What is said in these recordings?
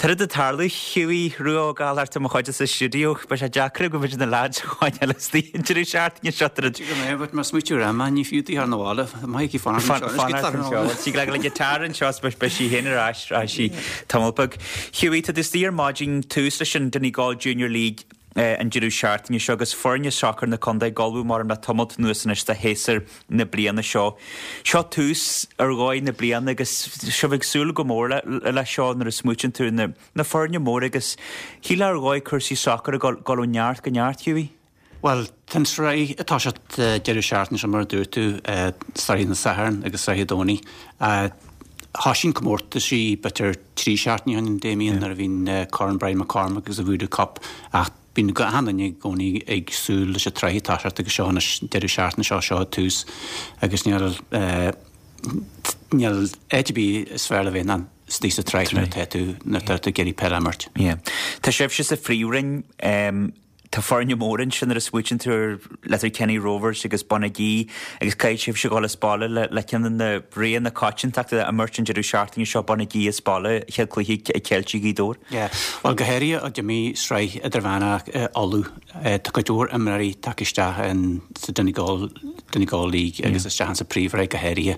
Tá rud ag tarlú, Hughie Rua Ó Gallchóir, tá mo chuid sa stiúideo, beidh sé deacair agam b'fhéidir na leaids a choinneáil istigh an deireadh seachtaine seo. Tá rud. Go mbeidh, but má smaoitiú ar ama, ní fiú duit thar na bhfalla, maith aici fanacht anseo. Fanacht anseo. Tig le guitar anseo is beidh sí féin ar ais ar ais tamall beag. Hughie, tá tú istigh ar maidin, tús leis an Donegal Junior League an deireadh seachtaine seo agus foirne sacair na contae ag ullmhú mar le tamalt anuas anois do shéasúr na bliana seo. Seo tús ar dhóigh na bliana agus sibh ag súil go mór leis seo nuair a smaoitíonn tú ar na foirne móra agus shílfeá ar dhóigh cúrsaí sacair ag dul ó neart go neart, Hughie. Bhuel, tá an tsraith ag toiseacht deireadh seachtaine seo mar a dúirt tú, sraith na Satharn agus sraith an Domhnaigh. Thoisigh an comórtaisí b'fhéidir 3 seachtaine ó shin, Damien, nuair a bhí an Corn Brian McCormack agus an Voodoo Cup ach bíonn achan duine i gcónaí ag súil leis an tsraith ag toiseacht agus seo anois deireadh seachtaine seo, seo an tús agus níl níl áit ar bith is fearr le bheith ná istigh sa tsraith nuair atá tú nuair atá tú ag iarraidh peil a imirt. Yeah. Tá sibhse sa phríomhroinn. Tá foirne móra ansin nuair a smaoitíonn tú ar Letterkenny Rovers agus Bonagee agus caithfidh sibhse dhul as baile le ceann de na roghanna coitiantachta a imirt an deireadh seachtaine seo, Bonagee as baile, chéad cluiche ag Ceiltigh Ghaoth Dobhair. Yeah, bhuel go háirithe ó d'imigh sraith idirmheánach Uladh, tá cuid mhór imreoirí tagtha isteach in sa Donegal, Donegal League agus isteach in sa príomhshraith go háirithe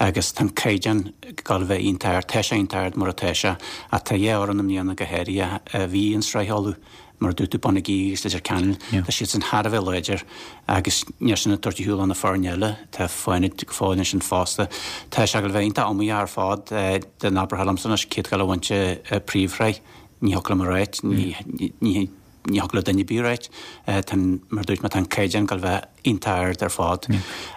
agus tá an caighdeán ag gabháil a bheith iontach ard, tá sé iontach ard mar atá sé ach tá dhá fhoireann i mbliana go háirithe a bhí in sraith Uladh. Mar a dúirt tú, Bonagee agus Leitir Ceanainn, tá siadsan thar a bheith láidir agus níl sin ag tabhairt ar shiúl ó na foirne eile. Tá Fánaid go fóill ansin fosta. Tá sé ag gabháil a bheith iontach iomaíoch ar fad. Dá n-abrofá liomsa anois cé atá ag gabháil a bhaint an phríomhshraith, ní thiocfadh liom a ráit, ní thiocfadh le duine ar bith a ráit. Tá, mar a dúirt mé, tá an caighdeán ag gabháil a bheith iontach ard ar fad.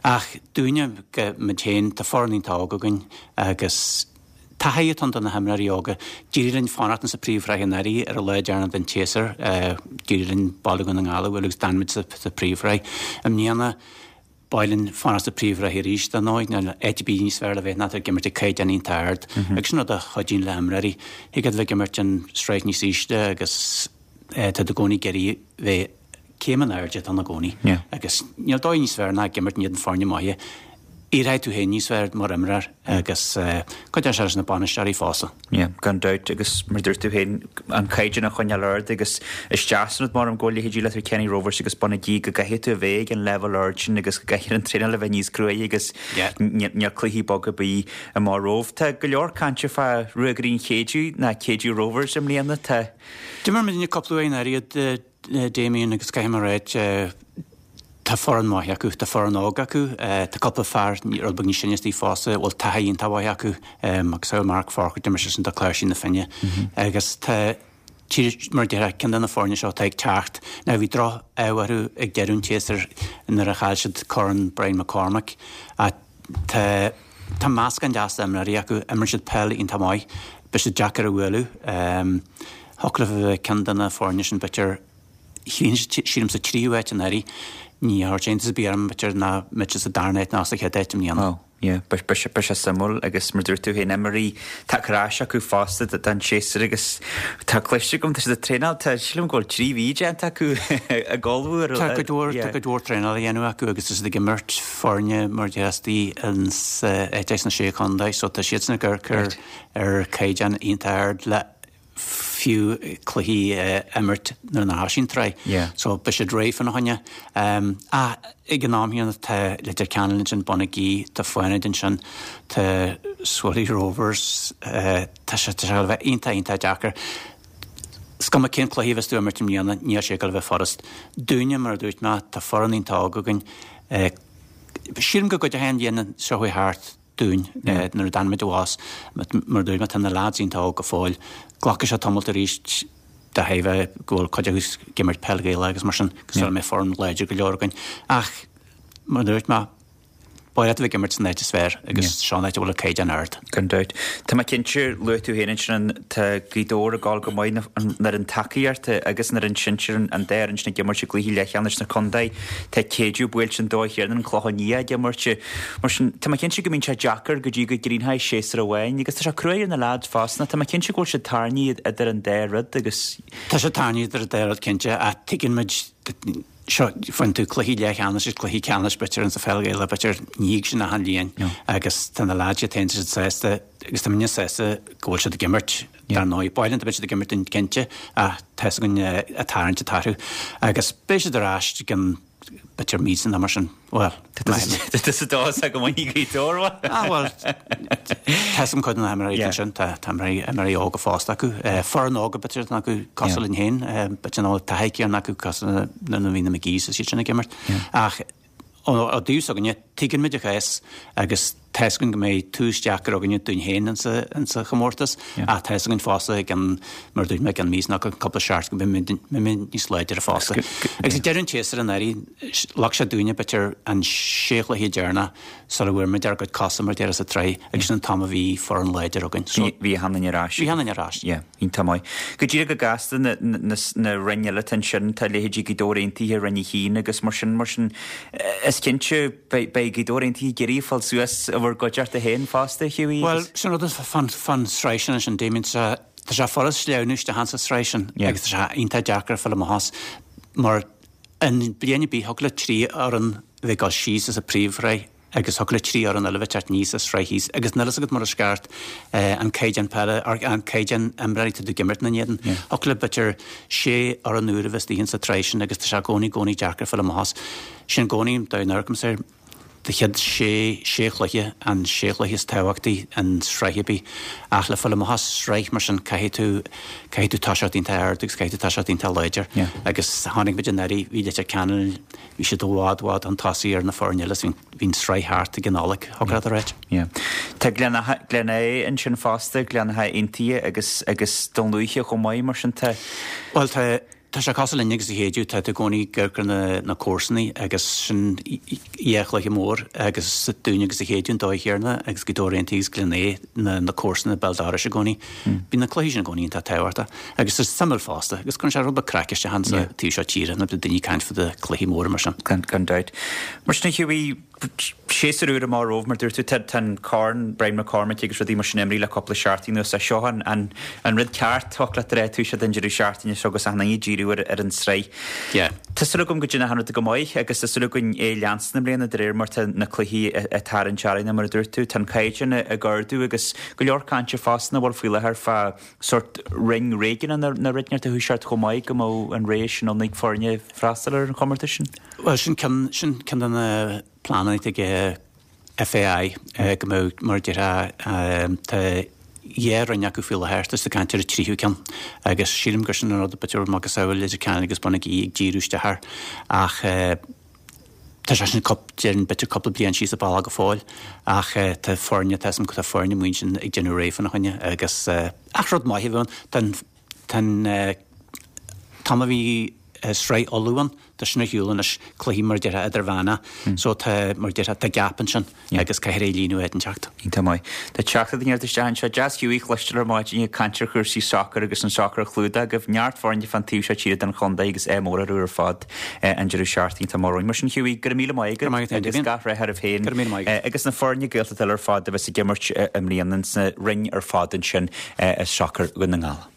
Ach dúinne, muid féin, tá foireann iontach óg againn agus, Taithí atá ann do na himreoirí óga. D'éirigh linn fanacht insa phríomhshraith anuraidh ar an lá deireanach den tséasúr. D'éirigh linn Baile Dhún na nGall a bhualadh agus d'fhan muid sa phríomhshraith. I mbliana, ba mhaith linn fanacht sa phríomhshraith arís, dar ndóigh. Níl áit ar bith níos fearr le bheith ná tú ag imirt ag caighdeán iontach ard. Agus sin rud a chuidíonn le himreoirí. Thig leat a bheith ag imirt an sraith níos ísle agus tá tú i gcónaí ag iarraidh bheith céim in airde atá ann i gcónaí agus níl dóigh níos fearr ná ag imirt in éadan foirne maithe. Éireoidh tú féin níos fearr mar imreoir agus cuideoidh sé leis na bainisteoirí fosta. Yeah, gan dabht agus mar dúirt tú féin, an caighdeán a choinneáil ard agus is deas an rud mar go bhfuil leithéidí Letterkenny Rovers agus Bonagee go gcaithfidh tú a bheith ag an leibhéal ard sin agus go gcaithfidh an traenáil a bheith níos cruaidhe agus níl cluichí beaga ar bith amach romhaibh. Tá go leor cainte fá Ruagairí an Chéideadh ná Keadue Rovers i mbliana. Tá. D'imir muidne cúpla uair anuraidh Damien agus caithfidh mé a ráit, tá foireann mhaith acu, tá foireann óg acu, tá cúpla fear rud beag níos sine istigh fosta a bhfuil taithí iontach mhaith acu, agus tá Mark Forker, d'imir seisean do Chláirsigh na Finne agus tá, mar a déarfá, ceann de na foirne seo atá ag teacht. Now bhí droch-ádh orthu ag deireadh an tséasúir nuair a chaill siad Corn Brian McCormack ach tá, tá meascán deas d'imreoirí acu, imríonn siad peil iontach maith, beidh siad deacair a bhualadh. Thiocfadh leo a bheith ceann de na foirne sin b'fhéidir, sílim sa tríú háit anuraidh, ní thabharfadh iontas ar bith orm b'fhéidir nach mbeadh siad sa darna háit ná sa chéad áit i mbliana. Ó, yeah, beidh sé suimiúil agus mar dúirt tú féin, imreoirí tagtha ar ais acu fosta don séasúr agus tá cloiste agam, tá siad ag traenáil, tá, sílim go bhfuil 3 mhí déanta acu ag ullmhú ar, Tá cuid mhór, tá cuid mhór traenála á dhéanamh acu agus tá siad ag imirt foirne mar dheascaí ins sna Sé Chontae so tá siadsan ag amharc ar ar chaighdeán iontach ard le fiú cluichí a imirt nuair nár thoisigh an tsraith. So beidh siad réidh fána choinne. Ach ag an am chéanna tá Leitir Ceanainn ansin, Bonagee, tá Fánaid ansin, tá Swilly Rovers, tá sé tá sé a bheith iontach iontach deacair. Is cuma cén cluiche a bheas tú ag imirt i mbliana, níl sé ag dul a bheith furast. Dúinne, mar a dúirt mé, tá foireann iontach óg againn. Sílim go gcuideoidh an bhliain seo chuaigh thart dúinn nuair a d'fhan muid abhus. Mar a dúirt mé, tá na leaids iontach óg go fóill. Glacfaidh sé tamalt arís de thairbhe go bhfuil cuid acu ag imirt peil Ghaelach agus mar sin, go sula mbeidh foireann láidir go leor againn. Ach, mar a dúirt mé, ba mhaith leat a bheith ag imirt san áit is fearr agus seo an áit a bhfuil an caighdeán ard. Gan dabht. Tá mé cinnte, luaigh tú féin ansin an, tá Gaoth Dobhair ag gabháil go maith, an fhoireann tacaíochta agus an fhoireann sinsir, an dá fhoireann sin ag imirt i gcluichí leathcheannais na contae. Tá Keadue buailte an dóigh chéanna, an Clochán Liath ag imirt. Mar sin, tá mé cinnte go mbíonn sé deacair go dtí go gcríochnóidh séasúr amháin agus tá sé cruaidh ar na leaids fosta. Tá mé cinnte go bhfuil siad tarraingthe idir an dá rud agus. Tá sé tarraingthe idir an dá rud cinnte ach tuigeann muid. Seo, faigheann tú cluichí leathcheannais agus cluichí ceannais b'fhéidir insa pheil Ghaelach, b'fhéidir ní thig sin achan bhliain agus tá na leaids iad féin, tá siad sásta agus tá muidne sásta go bhfuil siad ag imirt, dar ndóigh. Ba mhaith linn dá mbeadh siad ag imirt dúinn cinnte ach tá 'fhios againn an tarraingt atá orthu agus beidh siad ar ais i gcionn b'fhéidir míosa nó mar sin. Bhuel, Tá tusa dóchasach go mbainfidh Gaoth Dobhair uaidh. Ah bhuel, tá 'fhios agam cuid de na himreoirí ansin, tá imreoirí óga fosta acu. Foireann óga b'fhéidir atá acu cosúil linn féin, b'fhéidir nach bhfuil taithí céanna acu cosúil le nuair a bhí na McGees is iad sin ag imirt. Ach ó dtaobh s'againne, tuigeann muid an cás agus tá 'fhios againn go mbeidh tús deacair againne dúinn féin insa chomórtas ach tá 'fhios againn fosta i gcionn, mar a dúirt mé, i gcionn míosa nó cúpla seachtain go mbeidh muid níos láidre fosta. Agus ag deireadh an tséasúir anuraidh, Leag sé dúinne b'fhéidir an sé chluiche deireanach sula bhfuair muid ár gcuid cosa mar a déarfá sa tsraith agus sin an t-am a bhí foireann láidir againn. So bhí achan duine ar ais. Bhí achan duine ar ais. Yeah, iontach maith. Go díreach go gasta na na roinn eile atá ansin, tá leithéidí Gaoth Dobhair Aontaithe, Roinn 1 agus mar sin, mar sin is cinnte beidh beidh Gaoth Dobhair Aontaithe ag iarraidh fáil suas i bhur gcuideachta féin fosta, Hughie Bhuel, sin rud fán fán sraith sin ansin, Damien, tá sé furast sleamhnú isteach insa sraith sin agus tá sé iontach deacair fáil amach as mar In bliain ar bith, thiocfadh le 3 fhoireann a bheith ag dul síos as an príomhshraith agus thiocfadh le 3 fhoireann eile bheith ag teacht aníos as sraith thíos agus níl fhios agat mar is ceart an caighdeán peile, an caighdeán imreoirí atá ag imirt ina n-éadan. Thiocfadh le b'fhéidir 6 fhoireann úr a bheith istigh insa tsraith sin agus tá sé i gcónaí, gcónaí deacair fáil amach as. Sin i gcónaí, dá n-amharcaimse air. Do chéad sé sé chluiche, an sé chluiche is tábhachtaí in sraith ar bith. Ach le fáil amach as sraith mar sin caithfidh tú, caithfidh tú toiseacht iontach ard agus caithfidh tú toiseacht iontach láidir. Agus chonaic muid anuraidh, bhí Leitir Ceanainn, bhí siad i bhfad, bhfad chun tosaigh ar na foirne eile is bhí, bhí an sraith thart ag an Nollaig, thiocfadh leat a ráit. Yeah. Tá Gleann Átha, Gleann Átha ansin fosta, Gleann Átha Aontaithe agus, agus Dún Lúiche chomh maith mar sin tá. Bhuel tá, Tá sé cosúil linn agus a Shéideadh, tá tú i gcónaí ag amharc ar na na comharsanaí agus sin dhá chluiche mór agus dúinn agus a Shéideadh an dóigh chéanna agus Gaoth Dobhair Aontaithe agus Gleann Átha na na comharsana béal dorais i gcónaí. Bíonn na cluichí sin i gcónaí iontach tábhachtach agus tá suimiúil fosta agus cuireann sé rud beag craic isteach insa taobh seo tíre nuair atá daoine ag caint fá cluichí móra mar sin. Gan gan dabht. Mar sin a Hughie, Séasúr úr amach romhaibh, mar dúirt tú, tá an Corn Brian McCormick agus rudaí mar sin imithe le cúpla seachtain anuas. Seo an rud ceart, thiocfadh leat a rá, tús den deireadh seachtaine seo agus achan duine ag díriú ar an tsraith. Tá súil agam go dtéann achan rud go maith agus tá súil againn é leanstan i mbliana de réir mar tá na cluichí ag tarraingt orainn, mar a dúirt tú. Tá an caighdeán ag ardú agus go leor cainte fosta nach bhfuil faoi láthair fá sórt roinn réigiúnach na roinne sa Tuaisceart chomh maith go mbeadh an rogha sin ann ag foirne freastal ar an chomórtas sin. Bhuel, sin ceann, sin ceann de na pleananna atá ag FAI, go mbeadh, mar a déarfá, tá dhá roinn acu faoi láthair, tá siad ag caint ar an tríú ceann agus sílim gur sin an rud b'fhéidir macasamhail Leitir Ceanainn agus Bun an Ghí ag díriú isteach air ach tá sé sin déarfainn b'fhéidir cúpla bliain síos an bealach go fóill ach tá foirne, tá tá foirne amuigh ansin ag déanamh réidh fána choinne agus ach rud maith a bheadh ann, tá an, tá an t-am a bhí Sraith Uladh ann, tá sin ar shiúl anois, cluichí mar a déarfá idirmheánach, so tá, mar a déarfá, tá gap ansin agus caithfear é a líonadh áit inteacht. Iontach maith. Tá teachta ag neart isteach anseo. Deas Hughie a chloisteáil ar maidin ag caint ar chúrsaí sacair agus an sacar a chlúdach agaibh. Neart foirne fán taobh seo tíre den chontae agus ádh mór orthu ar fad an deireadh seachtaine atá amach romhainn. Mar sin Hughie, go raibh míle maith agat agus gach rath oraibh féin agus na foirne Gaeltachta eile ar fad a bheas ag imirt i mbliana sna roinn ar fad ansin i sacar Dhún na nGall.